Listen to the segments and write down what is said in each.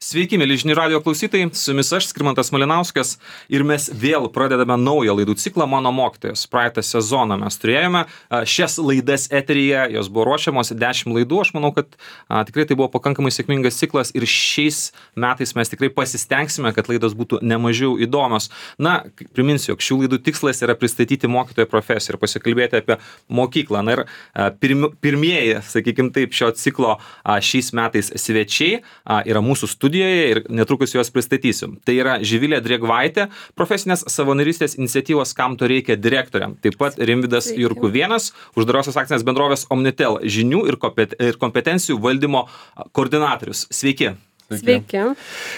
Sveiki, mėly žinių radijo klausytojai, su jumis aš, Skirmantas Malinauskas, ir mes vėl pradedame naują laidų ciklą Mano mokytojas. Praeitą sezoną mes turėjome šias laidas eteryje, jos buvo ruošiamos 10 laidų, aš manau, kad tikrai tai buvo pakankamai sėkmingas ciklas ir šiais metais mes tikrai pasistengsime, kad laidos būtų nemažiau įdomios. Na, priminsiu, jog šių laidų tikslas yra pristatyti mokytojo profesiją ir pasikalbėti apie mokyklą. Na ir pirmieji, sakykime taip, šio ciklo šiais metais svečiai yra mūsų studijoje ir netrukus juos pristatysiu. Tai yra Živilė Drėgvaitė, profesinės savanorystės iniciatyvos Kam to reikia direktorė. Taip pat Rimvydas Jurkuvėnas, uždarosios akcinės bendrovės Omnitel žinių ir kompetencijų valdymo koordinatorius. Sveiki. Sveiki.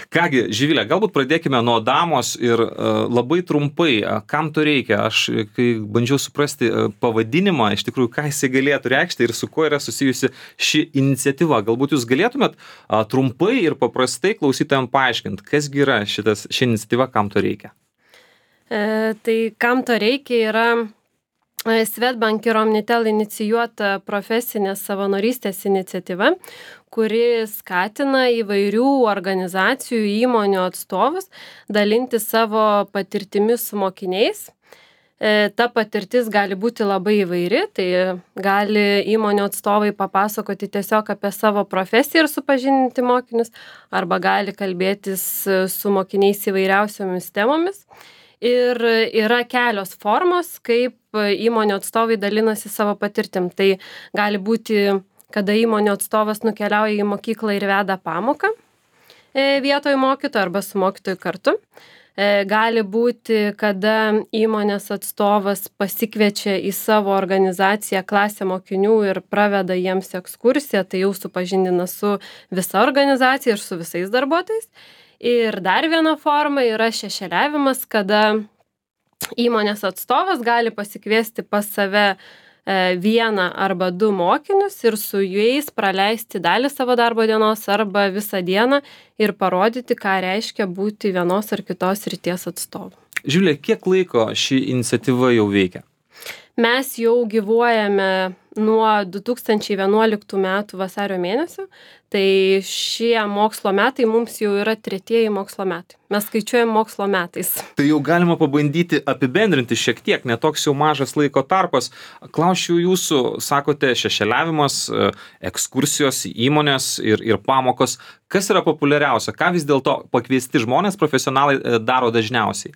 Kągi, Živilė, galbūt pradėkime nuo damos ir labai trumpai, kam to reikia. Aš, kai bandžiau suprasti pavadinimą, iš tikrųjų, ką jisai galėtų reikšti ir su kuo yra susijusi ši iniciatyva. Galbūt jūs galėtumėt trumpai ir paprastai klausytojams paaiškinti, kasgi yra ši iniciatyva, kam to reikia. Tai kam to reikia yra Swedbank ir Omnitel inicijuota profesinės savanorystės iniciatyva, kuri skatina įvairių organizacijų, įmonių atstovus dalinti savo patirtimis su mokiniais. Ta patirtis gali būti labai įvairi, tai gali įmonių atstovai papasakoti tiesiog apie savo profesiją ir supažindinti mokinius, arba gali kalbėtis su mokiniais įvairiausiomis temomis. Ir yra kelios formos, kaip įmonių atstovai dalinasi savo patirtim. Tai gali būti, kada įmonių atstovas nukeliauja į mokyklą ir veda pamoką vietoj mokytojo arba su mokytoju kartu. Gali būti, kada įmonės atstovas pasikviečia į savo organizaciją klasę mokinių ir praveda jiems ekskursiją, tai jau supažindina su visa organizacija ir su visais darbuotojais. Ir dar viena forma yra šešėliavimas, kada įmonės atstovas gali pasikviesti pas save vieną arba du mokinius ir su jais praleisti dalį savo darbo dienos arba visą dieną ir parodyti, ką reiškia būti vienos ar kitos srities atstovu. Živilė, kiek laiko ši iniciatyva jau veikia? Mes jau gyvuojame nuo 2011 metų vasario mėnesio, tai šie mokslo metai mums jau yra 3 mokslo metai. Mes skaičiuojam mokslo metais. Tai jau galima pabandyti apibendrinti šiek tiek, netoks jau mažas laiko tarpas. Klausčiau jūsų, sakote, šešėliavimas, ekskursijos į įmonės ir pamokos. Kas yra populiariausia? Ką vis dėlto pakviesti žmonės, profesionalai daro dažniausiai?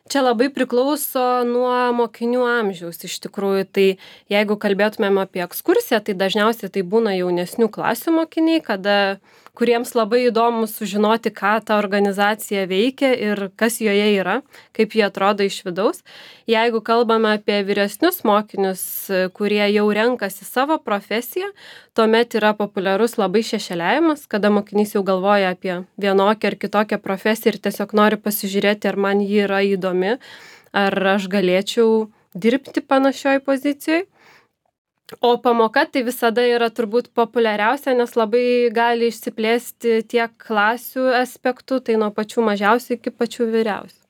Čia labai priklauso nuo mokinių amžiaus iš tikrųjų. Tai jeigu kalbėtumėm apie ekskursiją, tai dažniausiai tai būna jaunesnių klasių mokiniai, kuriems labai įdomu sužinoti, ką ta organizacija veikia ir kas joje yra, kaip jie atrodo iš vidaus. Jeigu kalbame apie vyresnius mokinius, kurie jau renkasi savo profesiją, tuomet yra populiarus labai šešėliavimas, kada mokinys jau galvoja apie vienokią ar kitokią profesiją ir tiesiog nori pasižiūrėti, ar man ji yra įdomi, ar aš galėčiau dirbti panašioj pozicijoje. O pamoka tai visada yra turbūt populiariausia, nes labai gali išsiplėsti tiek klasių aspektų, tai nuo pačių mažiausių iki pačių vyriausių.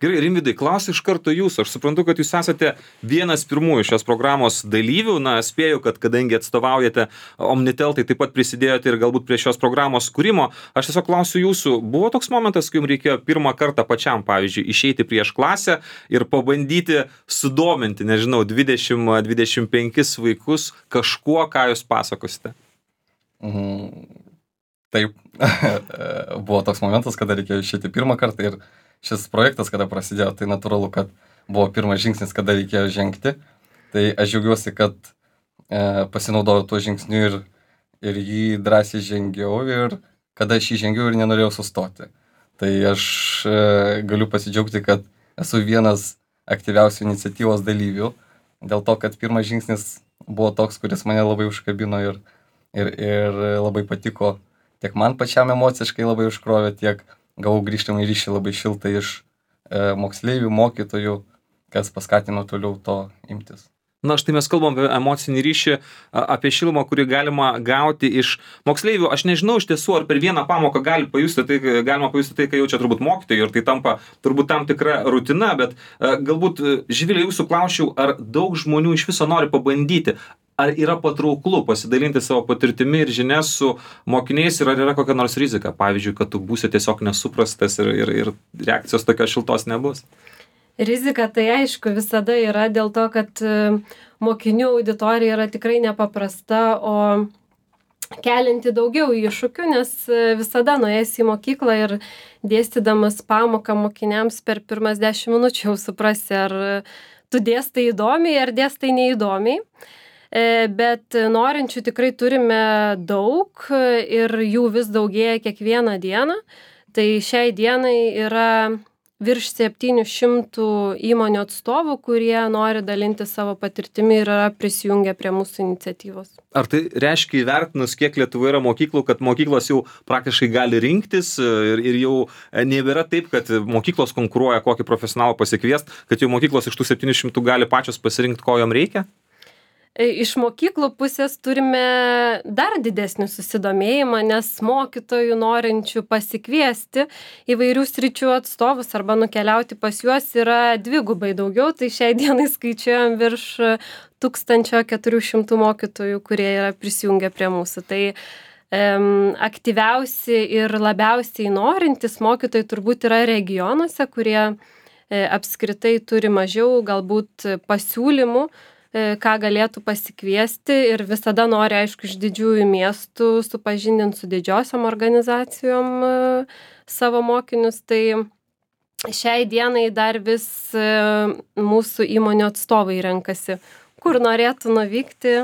Gerai, Rimvydai, klausiu iš karto jūsų. Aš suprantu, kad jūs esate vienas pirmųjų šios programos dalyvių. Na, spėju, kad kadangi atstovaujate Omnitel, tai taip pat prisidėjote ir galbūt prie šios programos kūrimo. Aš tiesiog klausiu jūsų, buvo toks momentas, kai jums reikėjo pirmą kartą pačiam, pavyzdžiui, išeiti prieš klasę ir pabandyti sudominti, nežinau, 20-25 vaikus kažkuo, ką jūs pasakosite? Taip, buvo toks momentas, kada reikėjo išeiti pirmą kartą ir šis projektas, kada prasidėjo, tai natūralu, kad buvo pirmas žingsnis, kada reikėjo žengti. Tai aš džiaugiuosi, kad pasinaudojau tuo žingsniu ir jį drąsiai žengiau ir kada aš jį žengiau ir nenorėjau sustoti. Tai aš galiu pasidžiaugti, kad esu vienas aktyviausių iniciatyvos dalyvių, dėl to, kad pirmas žingsnis buvo toks, kuris mane labai užkabino ir labai patiko. Tiek man pačiam emociškai labai užkrovė, tiek gavau grįžtamą ryšį labai šiltą iš moksleivių, mokytojų, kas paskatino toliau to imtis. Na, štai mes kalbam apie emocinį ryšį, apie šilumą, kurį galima gauti iš moksleivių. Aš nežinau iš tiesų, ar per vieną pamoką galima pajusti tai, ką jaučia turbūt mokytojai, ir tai tampa turbūt tam tikra rutina, bet galbūt, Živilė, jūsų klausčiau, ar daug žmonių iš viso nori pabandyti, ar yra patrauklu pasidalinti savo patirtimi ir žinias su mokiniais, ir ar yra kokia nors rizika, pavyzdžiui, kad tu būsi tiesiog nesuprastas ir reakcijos tokios šiltos nebus. Rizika tai aišku visada yra dėl to, kad mokinių auditorija yra tikrai nepaprasta, o kelinti daugiau iššūkių, nes visada nuėjęs į mokyklą ir dėstydamas pamoką mokiniams per pirmas 10 minučių jau suprasi, ar tu dėstai įdomiai, ar dėstai neįdomiai. Bet norinčių tikrai turime daug ir jų vis daugėja kiekvieną dieną. Tai šiai dienai yra virš 700 įmonių atstovų, kurie nori dalinti savo patirtimi ir yra prisijungę prie mūsų iniciatyvos. Ar tai reiškia įvertinus, kiek Lietuvoje yra mokyklų, kad mokyklos jau praktiškai gali rinktis ir jau nebėra taip, kad mokyklos konkuruoja kokį profesionalą pasikviest, kad jau mokyklos iš tų 700 gali pačios pasirinkti, ko jom reikia? Iš mokyklų pusės turime dar didesnį susidomėjimą, nes mokytojų norinčių pasikviesti įvairių sričių atstovus arba nukeliauti pas juos yra dvigubai daugiau, tai šiai dienai skaičiuojam virš 1400 mokytojų, kurie yra prisijungę prie mūsų. Tai aktyviausi ir labiausiai norintys mokytojai turbūt yra regionuose, kurie apskritai turi mažiau galbūt pasiūlymų, ką galėtų pasikviesti, ir visada nori, aišku, iš didžiųjų miestų supažindinti su didžiosiom organizacijom savo mokinius. Tai šiai dienai dar vis mūsų įmonių atstovai renkasi, kur norėtų nuvykti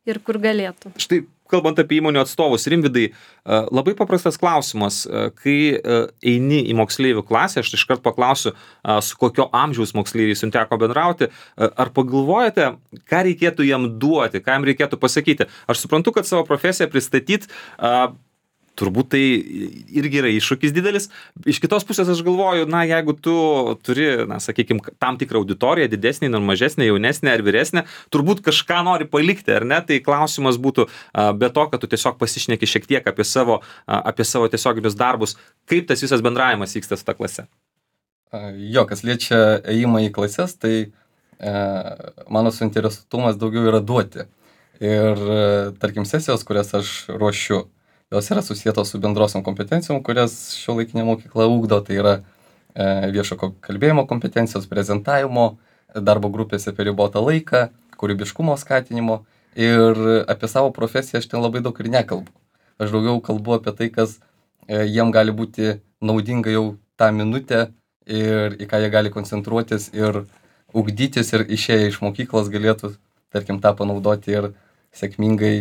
ir kur galėtų. Štai, kalbant apie įmonių atstovus, Rimvydai, labai paprastas klausimas. Kai eini į moksleivių klasę, aš iškart paklausiu, su kokio amžiaus moksleiviais jums teko bendrauti, ar pagalvojate, ką reikėtų jam duoti, ką jam reikėtų pasakyti. Aš suprantu, kad savo profesiją pristatyti, turbūt tai irgi yra iššūkis didelis. Iš kitos pusės aš galvoju, na, jeigu tu turi, na, sakykime, tam tikrą auditoriją, didesnį, mažesnę, jaunesnę ar vyresnę, turbūt kažką nori palikti, ar ne? Tai klausimas būtų, be to, kad tu tiesiog pasišneki šiek tiek apie savo tiesioginius darbus, kaip tas visas bendravimas vyksta su ta klase? Jo, kas liečia ėjimą į klases, tai mano suinteresuotumas daugiau yra duoti. Ir, tarkim, sesijos, kurias aš ruošiu, jos yra susietos su bendrosiom kompetencijom, kurias šiuolaikinė mokykla ugdo. Tai yra viešo kalbėjimo kompetencijos, prezentavimo, darbo grupėse per ribotą laiką, kūrybiškumo skatinimo. Ir apie savo profesiją aš ten labai daug ir nekalbu. Aš daugiau kalbu apie tai, kas jiem gali būti naudinga jau tą minutę ir į ką jie gali koncentruotis ir ugdytis, ir išėję iš mokyklos galėtų, tarkim, tą panaudoti ir sėkmingai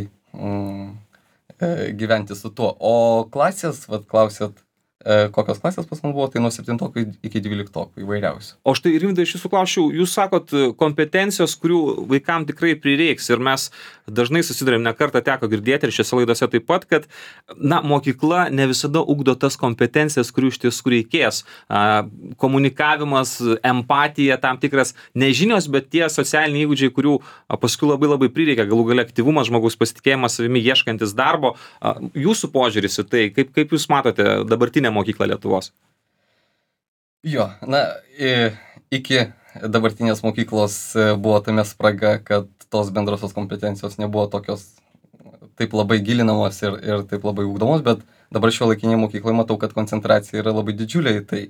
gyventi su tuo. O klasės, klausėt, kokios klasės pas man buvo, tai nuo 7 iki 12 įvairiausių. O štai, Rimvydai, aš jūsų klausčiau, jūs sakot kompetencijos, kurių vaikam tikrai prireiks, ir mes dažnai susidurėm, ne kartą teko girdėti ir šiose laidose taip pat, kad, na, mokykla ne visada ugdo tas kompetencijas, kurių iš tiesų reikės. Komunikavimas, empatija, tam tikras nežinios, bet tie socialiniai įgūdžiai, kurių paskui labai labai prireikia, galų gale aktyvumas, žmogaus pasitikėjimas savimi, ieškantis darbo. Jūsų požiūris į tai, kaip jūs matote dabartinę mokyklą Lietuvos? Jo, na, iki dabartinės mokyklos buvo tame spraga, kad tos bendrosios kompetencijos nebuvo tokios taip labai gilinamos ir taip labai ugdomos, bet dabar šiuolaikinėje mokykloje matau, kad koncentracija yra labai didžiulė į tai.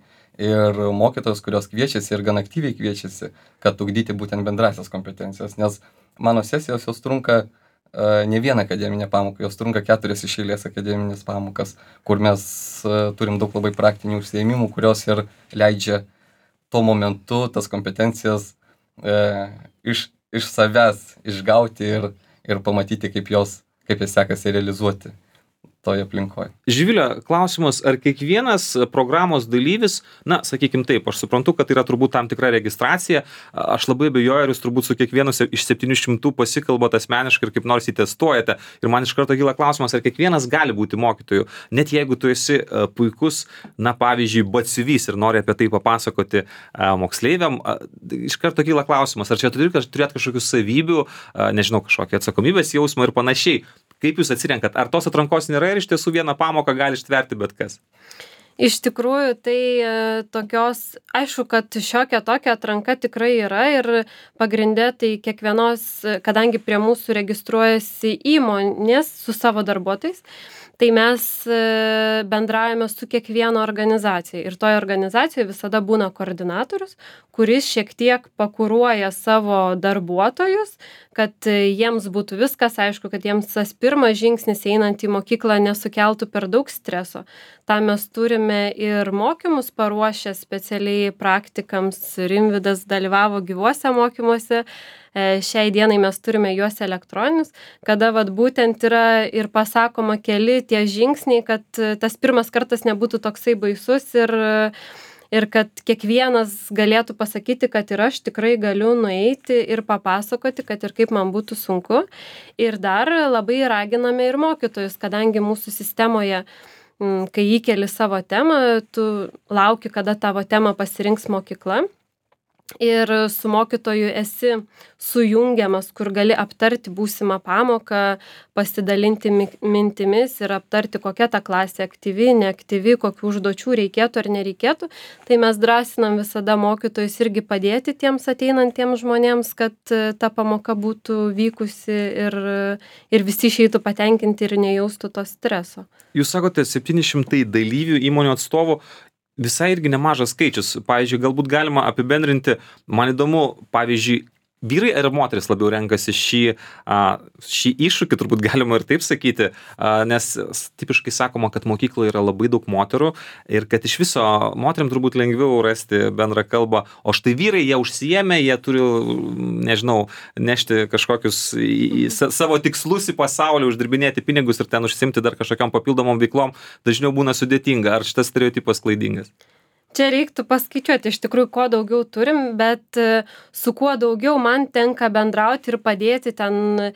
Ir mokytojos, kurios kviečiasi ir gan aktyviai kviečiasi, kad ugdyti būtent bendrasias kompetencijas, nes mano sesijos jos trunka ne vieną akademinę pamoką, jos trunka 4 iš eilės akademinės pamokas, kur mes turim daug labai praktinių užsiėmimų, kurios ir leidžia tuo momentu tas kompetencijas iš savęs išgauti ir pamatyti, kaip jas sekasi realizuoti. toje aplinkoje. Živilė, klausimas, ar kiekvienas programos dalyvis, na, sakykim taip, aš suprantu, kad yra turbūt tam tikra registracija, aš labai abejoju, ar jūs turbūt su kiekvienu iš 700 pasikalbate asmeniškai ir kaip nors įtestuojate. Ir man iš karto kyla klausimas, ar kiekvienas gali būti mokytoju, net jeigu tu esi puikus, na, pavyzdžiui, batsiuvys ir nori apie tai papasakoti moksleiviam, iš karto kyla klausimas, ar čia turėt kažkokių savybių, nežinau, kažkokią atsakomybės jausmą ir panašiai. Kaip jūs atsirenkat? Ar tos atrankos nėra ir iš tiesų vieną pamoką gali ištverti bet kas? Iš tikrųjų, tai tokios, aišku, kad šiokia tokia atranka tikrai yra ir pagrindė tai kiekvienos, kadangi prie mūsų registruojasi įmonės su savo darbuotojais, tai mes bendraujame su kiekviena organizacija ir toje organizacijoje visada būna koordinatorius, kuris šiek tiek pakuruoja savo darbuotojus, kad jiems būtų viskas aišku, kad jiems tas pirmas žingsnis einant į mokyklą nesukeltų per daug streso. Tam mes turime ir mokymus paruošę specialiai praktikams, Rimvydas dalyvavo gyvuose mokymuose, šiai dienai mes turime juos elektroninius, kada vat būtent yra ir pasakoma keli tie žingsniai, kad tas pirmas kartas nebūtų toksai baisus ir kad kiekvienas galėtų pasakyti, kad ir aš tikrai galiu nueiti ir papasakoti, kad ir kaip man būtų sunku. Ir dar labai raginame ir mokytojus, kadangi mūsų sistemoje, kai įkeli savo temą, tu lauki, kada tavo temą pasirinks mokykla. Ir su mokytoju esi sujungiamas, kur gali aptarti būsimą pamoką, pasidalinti mintimis ir aptarti, kokia ta klasė aktyvi, neaktyvi, kokių užduočių reikėtų ar nereikėtų. Tai mes drąsinam visada mokytojus irgi padėti tiems ateinantiems žmonėms, kad ta pamoka būtų vykusi ir visi išeitų patenkinti ir nejaustų to streso. Jūs sakote 700 dalyvių įmonių atstovų. Visai irgi nemažas skaičius. Pavyzdžiui, galbūt galima apibendrinti, man įdomu, pavyzdžiui, vyrai ar moteris labiau renkasi šį iššūkį, turbūt galima ir taip sakyti, nes tipiškai sakoma, kad mokykloje yra labai daug moterų ir kad iš viso moteriam turbūt lengviau rasti bendrą kalbą, o štai vyrai jie užsiėmė, jie turi, nežinau, nešti kažkokius savo tikslus į pasaulį, uždirbinėti pinigus ir ten užsiimti dar kažkokiam papildomom veiklom, dažniau būna sudėtinga. Ar šitas stereotipas klaidingas? Čia reiktų paskaičiuoti, iš tikrųjų, kuo daugiau turim, bet su kuo daugiau man tenka bendrauti ir padėti ten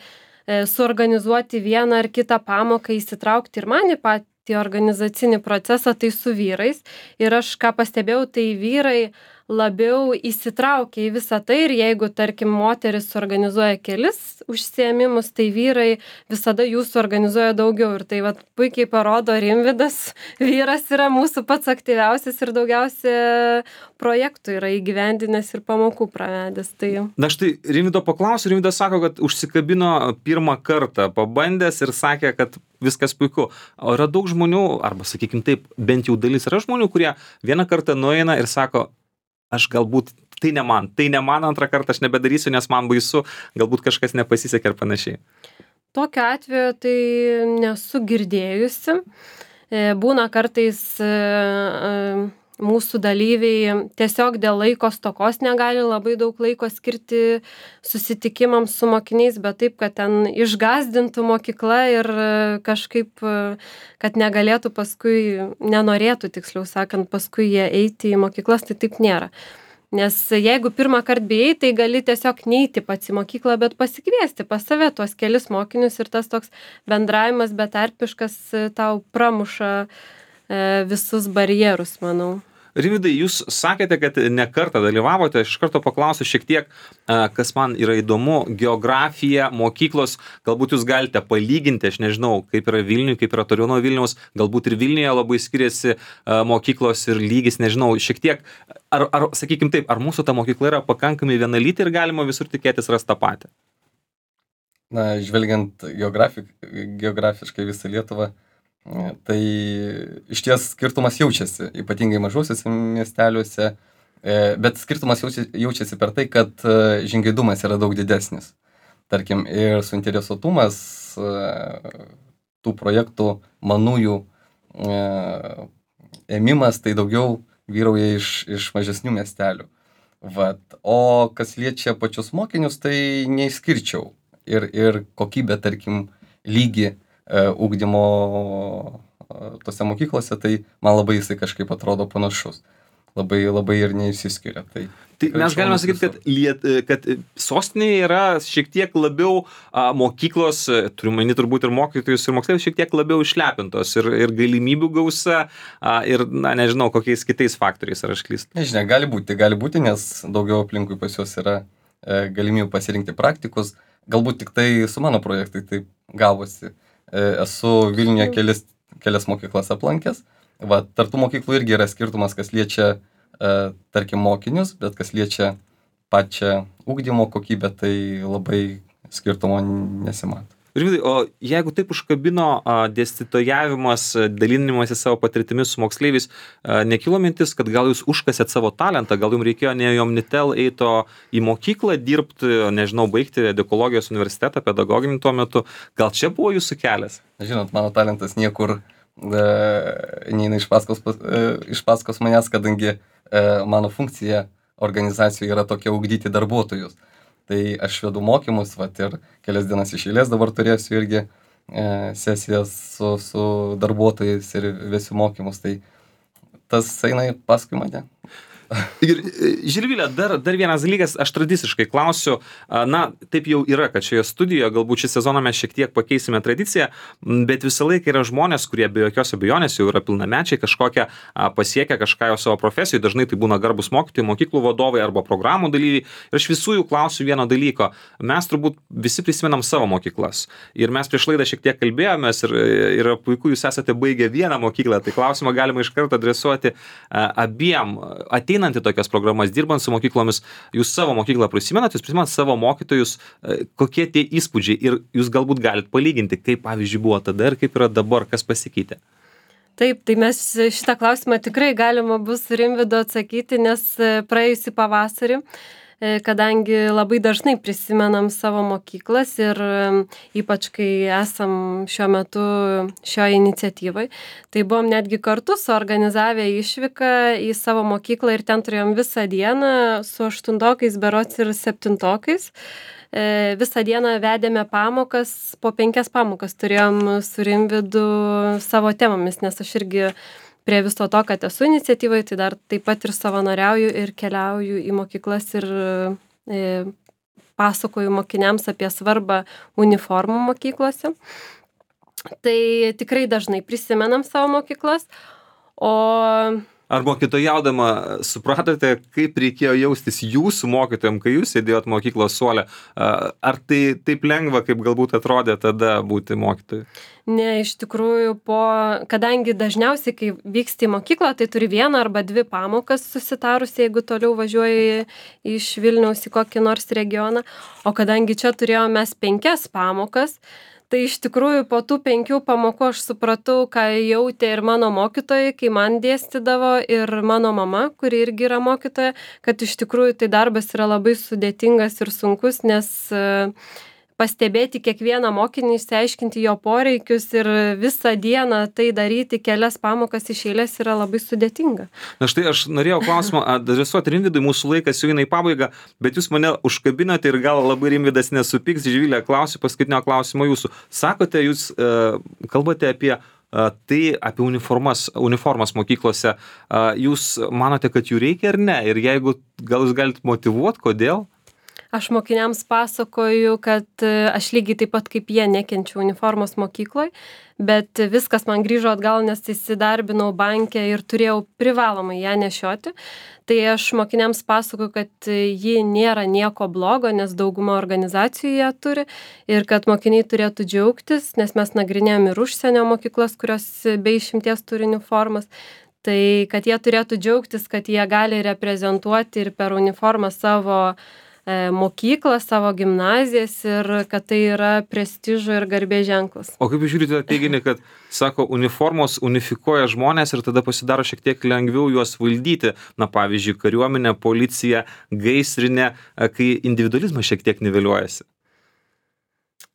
suorganizuoti vieną ar kitą pamoką, įsitraukti ir man į patį organizacinį procesą, tai su vyrais. Ir aš ką pastebėjau, tai vyrai labiau įsitraukia į visą tai ir jeigu, tarkim, moteris organizuoja kelis užsiėmimus, tai vyrai visada jų suorganizuoja daugiau. Ir tai vat, puikiai parodo Rimvydas, vyras yra mūsų pats aktyviausias ir daugiausia projektų yra įgyvendinęs ir pamokų pravedęs. Tai... Na štai Rimvydo paklausiu, Rimvydas sako, kad užsikabino pirmą kartą, pabandęs ir sakė, kad viskas puiku. O yra daug žmonių, arba sakykim taip, bent jau dalis yra žmonių, kurie vieną kartą nueina ir sako, aš galbūt tai ne man antrą kartą aš nebedarysiu, nes man baisu, galbūt kažkas nepasisekė ir panašiai. Tokiu atveju tai nesu girdėjusi. Būna kartais mūsų dalyviai tiesiog dėl laiko stokos negali labai daug laiko skirti susitikimams su mokiniais, bet taip, kad ten išgąsdintų mokykla ir kažkaip, kad negalėtų paskui, nenorėtų, tiksliau sakant, paskui jie eiti į mokyklas, tai taip nėra. Nes jeigu pirmą kartą bijai, tai gali tiesiog neiti pats į mokyklą, bet pasikviesti pas save tuos kelis mokinius ir tas toks bendravimas betarpiškas tau pramuša visus barjerus, manau. Rimvydai, jūs sakėte, kad ne kartą dalyvavote, aš iš karto paklausiu šiek tiek, kas man yra įdomu, geografija, mokyklos, galbūt jūs galite palyginti, aš nežinau, kaip yra Vilniuje, kaip yra toliau nuo Vilniaus, galbūt ir Vilniuje labai skiriasi mokyklos ir lygis, nežinau, šiek tiek, ar sakykim taip, ar mūsų ta mokykla yra pakankamai vienalytė ir galima visur tikėtis rasti tą patį? Na, žvelgiant geografiškai visą Lietuvą, tai iš ties skirtumas jaučiasi, ypatingai mažuosiuose miesteliuose, bet skirtumas jaučiasi per tai, kad žingeidumas yra daug didesnis. Tarkim, ir suinteresuotumas tų projektų manųjų ėmimas, tai daugiau vyrauja iš mažesnių miestelių. Vat. O kas liečia pačius mokinius, tai neišskirčiau. Ir kokybę, tarkim, lygį ugdymo tose mokyklose, tai man labai jisai kažkaip atrodo panašus. Labai ir neišsiskiria. Tai mes galime sakyti, kad sostinėje yra šiek tiek labiau mokyklos, turiu manyti turbūt ir mokytojus, ir moksleivius šiek tiek labiau išlepintos ir galimybių gausa, ir, nežinau, kokiais kitais faktoriais, ar aš klystu. Nežinia, gali būti, nes daugiau aplinkui pas juos yra galimybių pasirinkti praktikus. Galbūt tik tai su mano projektai taip gavosi. Esu Vilniuje kelias mokyklas aplankęs. Tartų mokyklų irgi yra skirtumas, kas liečia, tarkim, mokinius, bet kas liečia pačią ugdymo kokybę, tai labai skirtumo nesimato. Rimvydai, o jeigu taip užkabino dėstytojavimas, dalinimas į savo patirtimis su moksleiviais, nekilo mintis, kad gal jūs užkasėt savo talentą, gal jums reikėjo ne į Omnitel eito į mokyklą dirbti, nežinau, baigti Edukologijos universitetą, pedagoginį tuo metu, gal čia buvo jūsų kelias? Žinot, mano talentas niekur neina iš paskos manęs, kadangi mano funkcija organizacijoje yra tokia ugdyti darbuotojus. Tai aš vedu mokymus, ir kelias dienas iš eilės dabar turėsiu irgi sesijas su darbuotojais ir vesiu mokymus. Tai tas eina paskui mane. Ir Žilvile, dar vienas dalykas, aš tradiciškai klausiu, taip jau yra, kad šioje studijoje galbūt šį sezoną mes šiek tiek pakeisime tradiciją, bet visą laiką yra žmonės, kurie be jokios abejonės jau yra pilnamečiai, kažkokią pasiekę kažką jau savo profesijoje, dažnai tai būna garbus mokytojai, mokyklų vadovai arba programų dalyviai. Ir aš visų jų klausiu vieno dalyko. Mes turbūt visi prisimenam savo mokyklas. Ir mes prieš laidą šiek tiek kalbėjomės ir puiku, jūs esate baigę vieną mokyklą, tai klausimą galima iš karto adresuoti abiem. Ateinant į tokias programas, dirbant su mokyklomis, jūs savo mokyklą prisimenat, jūs prisimenat savo mokytojus, kokie tie įspūdžiai ir jūs galbūt galite palyginti, kaip pavyzdžiui buvo tada ir kaip yra dabar, kas pasikeitė. Taip, tai mes šitą klausimą tikrai galima bus Rimvydo atsakyti, nes praėjusį pavasarį, kadangi labai dažnai prisimenam savo mokyklas ir ypač kai esam šiuo metu šioje iniciatyvai, tai buvom netgi kartu suorganizavę išvyką į savo mokyklą ir ten turėjom visą dieną su 8-okais berods ir 7-okais. Visą dieną vedėme pamokas, po 5 pamokas turėjom su Rimvydu savo temomis, nes aš irgi prie viso to, kad esu iniciatyvai, tai dar taip pat ir savanoriauju ir keliauju į mokyklas ir pasakoju mokiniams apie svarbą uniformų mokyklose. Tai tikrai dažnai prisimenam savo mokyklas, Ar mokytojaudama supratote, kaip reikėjo jaustis jūsų mokytojam, kai jūs sėdėjot mokyklos suole? Ar tai taip lengva, kaip galbūt atrodė tada būti mokytoju? Ne, iš tikrųjų, kadangi dažniausiai, kai vyksti į mokyklą, tai turi 1 arba 2 pamokas susitarus, jeigu toliau važiuoji iš Vilniaus į kokį nors regioną, o kadangi čia turėjome mes 5 pamokas, tai iš tikrųjų po tų 5 pamokų aš supratau, ką jautė ir mano mokytojai, kai man dėstydavo, ir mano mama, kuri irgi yra mokytoja, kad iš tikrųjų tai darbas yra labai sudėtingas ir sunkus, nes pastebėti kiekvieną mokinį, išsiaiškinti jo poreikius ir visą dieną tai daryti kelias pamokas iš eilės yra labai sudėtinga. Na štai aš norėjau klausimą adresuoti Rimvydui, mūsų laikas jau eina į pabaigą, bet jūs mane užkabinote ir gal labai Rimvydas nesupyks. Živilė, klausiu paskutinio klausimo jūsų. Sakote, jūs kalbate apie apie uniformas mokyklose. Jūs manote, kad jų reikia ar ne? Ir jeigu gal jūs galite motyvuoti, kodėl? Aš mokiniams pasakoju, kad aš lygiai taip pat kaip jie nekenčiu uniformos mokykloje, bet viskas man grįžo atgal, nes įsidarbinau banke ir turėjau privalomai ją nešioti. Tai aš mokiniams pasakoju, kad ji nėra nieko blogo, nes dauguma organizacijų ją turi ir kad mokiniai turėtų džiaugtis, nes mes nagrinėjom ir užsienio mokyklas, kurios be išimties turi uniformas. Tai kad jie turėtų džiaugtis, kad jie gali reprezentuoti ir per uniformą savo mokyklą, savo gimnazijas ir kad tai yra prestižo ir garbės ženklas. O kaip žiūrite teiginį, kad, sako, uniformos unifikuoja žmonės ir tada pasidaro šiek tiek lengviau juos valdyti? Na, pavyzdžiui, kariuomenė, policija, gaisrinė, kai individualizmas šiek tiek niveliuojasi.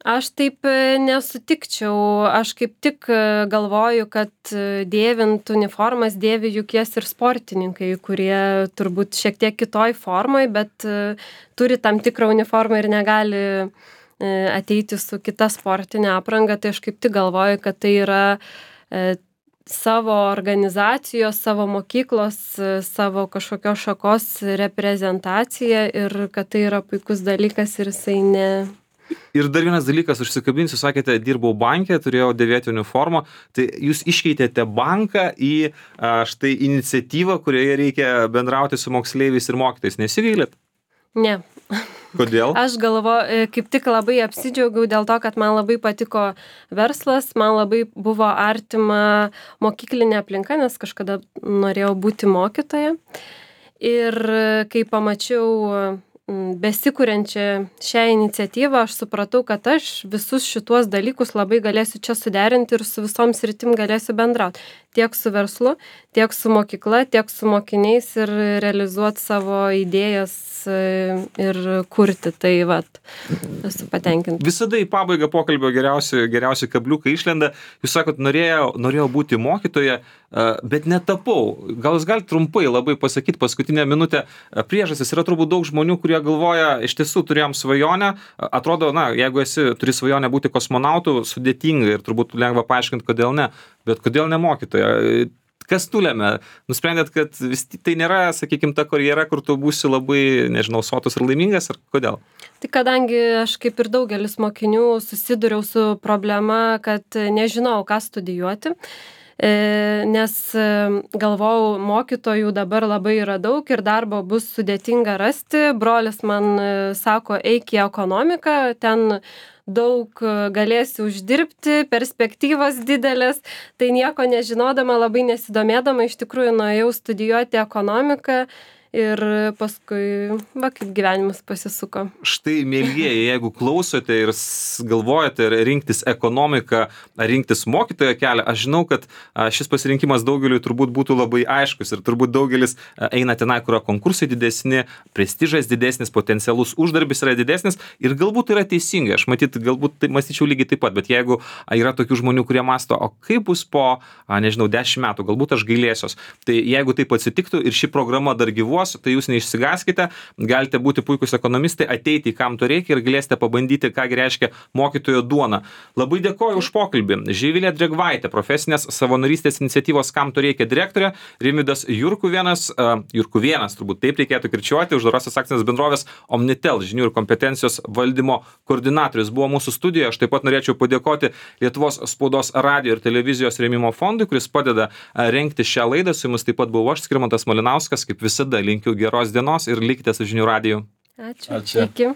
Aš taip nesutikčiau. Aš kaip tik galvoju, kad dėvint uniformas dėvi juk jas ir sportininkai, kurie turbūt šiek tiek kitoj formoj, bet turi tam tikrą uniformą ir negali ateiti su kita sportinė apranga, tai aš kaip tik galvoju, kad tai yra savo organizacijos, savo mokyklos, savo kažkokios šakos reprezentacija ir kad tai yra puikus dalykas ir jisai ne... Ir dar vienas dalykas, užsikabinsiu, sakėte, dirbau banke, turėjau dėvėti uniformą, tai jūs iškeitėte banką į štai iniciatyvą, kurioje reikia bendrauti su moksleiviais ir mokytojais. Nesigailit? Ne. Kodėl? Aš galvoju, kaip tik labai apsidžiaugiau dėl to, kad man labai patiko verslas, man labai buvo artima mokyklinė aplinka, nes kažkada norėjau būti mokytoja. Ir kai pamačiau besikuriančią šią iniciatyvą, aš supratau, kad aš visus šituos dalykus labai galėsiu čia suderinti ir su visom sritim galėsiu bendrauti. Tiek su verslu, tiek su mokykla, tiek su mokiniais ir realizuoti savo idėjas ir kurti. Tai vat, esu patenkinta. Visada į pabaigą pokalbio geriausi kabliukai išlenda. Jūs sakot, norėjau būti mokytoja, bet netapau. Gal jūs galite trumpai labai pasakyti paskutinę minutę priežastis? Yra turbūt daug žmonių, kurie galvoja, iš tiesų turėjom svajonę. Atrodo, jeigu turi svajonę būti kosmonautu, sudėtinga ir turbūt lengva paaiškinti, kodėl ne. Bet kodėl ne mokytoja? Kas nulėmė? Nusprendėt, kad tai nėra, sakykime, ta karjera, kur tu būsi labai, nežinau, sotus ir laimingas, ar kodėl? Tai kadangi aš kaip ir daugelis mokinių susiduriau su problema, kad nežinau, ką studijuoti, nes galvojau, mokytojų dabar labai yra daug ir darbo bus sudėtinga rasti. Brolis man sako, eik į ekonomiką, ten daug galėsi uždirbti, perspektyvos didelės, tai nieko nežinodama, labai nesidomėdama, iš tikrųjų nuėjau studijuoti ekonomiką ir paskui, kaip gyvenimas pasisuko. Štai, mielieji, jeigu klausote ir galvojate rinktis ekonomiką, ar rinktis mokytojo kelią, aš žinau, kad šis pasirinkimas daugeliui turbūt būtų labai aiškus ir turbūt daugelis eina tenai, kur konkursai didesni, prestižas didesnis, potencialus uždarbis yra didesnis ir galbūt yra teisinga. Aš galbūt mąstyčiau lygiai taip pat, bet jeigu yra tokių žmonių, kurie mąsto, o kaip bus po, 10 metų, galbūt aš gailėsiuos. Tai jeigu taip atsitiktų ir ši programa dar gyvuos, tai jūs neišsigaskite, galite būti puikus ekonomistai, ateiti, kam to reikia ir galėsite pabandyti, ką reiškia mokytojo duona. Labai dėkoju už pokalbį. Živilė Drėgvaitė, profesinės savanorystės iniciatyvos Kam to reikia direktorė, Rimvydas Jurkuvėnas, turbūt taip reikėtų kirčiuoti, uždarosios akcinės bendrovės Omnitel žinių ir kompetencijos valdymo koordinatorius buvo mūsų studijoje. Aš taip pat norėčiau padėkoti Lietuvos spaudos radijo ir televizijos rėmimo fondui, kuris padeda rengti šią laidą. Su jumis taip pat buvau aš, Skirmantas Malinauskas, kaip visada linkiu geros dienos ir likite su žinių radiju. Ačiū. Iki.